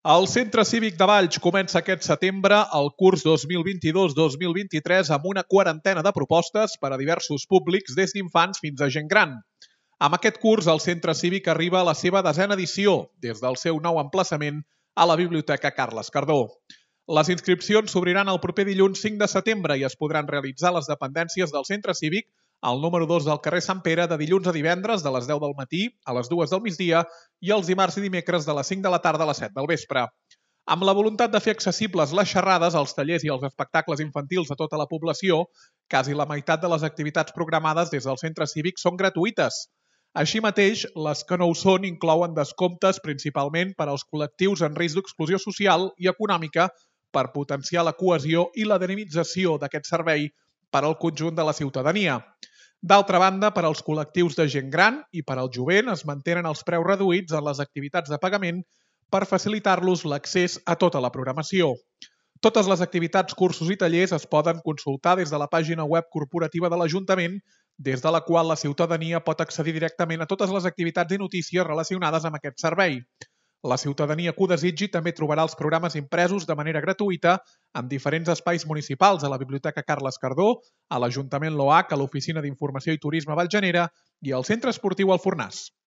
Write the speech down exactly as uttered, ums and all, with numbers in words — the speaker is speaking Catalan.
El Centre Cívic de Valls comença aquest setembre el curs dos mil vint-i-dos dos mil vint-i-tres amb una quarantena de propostes per a diversos públics, des d'infants fins a gent gran. Amb aquest curs, el Centre Cívic arriba a la seva desena edició, des del seu nou emplaçament a la Biblioteca Carles Cardó. Les inscripcions s'obriran el proper dilluns cinc de setembre i es podran realitzar a les dependències del Centre Cívic, al número dos del carrer Sant Pere, de dilluns a divendres de les deu del matí a les dues del migdia i els dimarts i dimecres de les cinc de la tarda a les set del vespre. Amb la voluntat de fer accessibles les xerrades, els tallers i els espectacles infantils a tota la població, quasi la meitat de les activitats programades des del Centre Cívic són gratuïtes. Així mateix, les que no ho són inclouen descomptes principalment per als col·lectius en risc d'exclusió social i econòmica per potenciar la cohesió i la dinamització d'aquest servei per al conjunt de la ciutadania. D'altra banda, per als col·lectius de gent gran i per al jovent es mantenen els preus reduïts en les activitats de pagament per facilitar-los l'accés a tota la programació. Totes les activitats, cursos i tallers es poden consultar des de la pàgina web corporativa de l'Ajuntament, des de la qual la ciutadania pot accedir directament a totes les activitats i notícies relacionades amb aquest servei. La ciutadania que ho desitgi també trobarà els programes impresos de manera gratuïta en diferents espais municipals, a la Biblioteca Carles Cardó, a l'Ajuntament L'Oac, a l'Oficina d'Informació i Turisme Valljanera i al Centre Esportiu Alfornàs.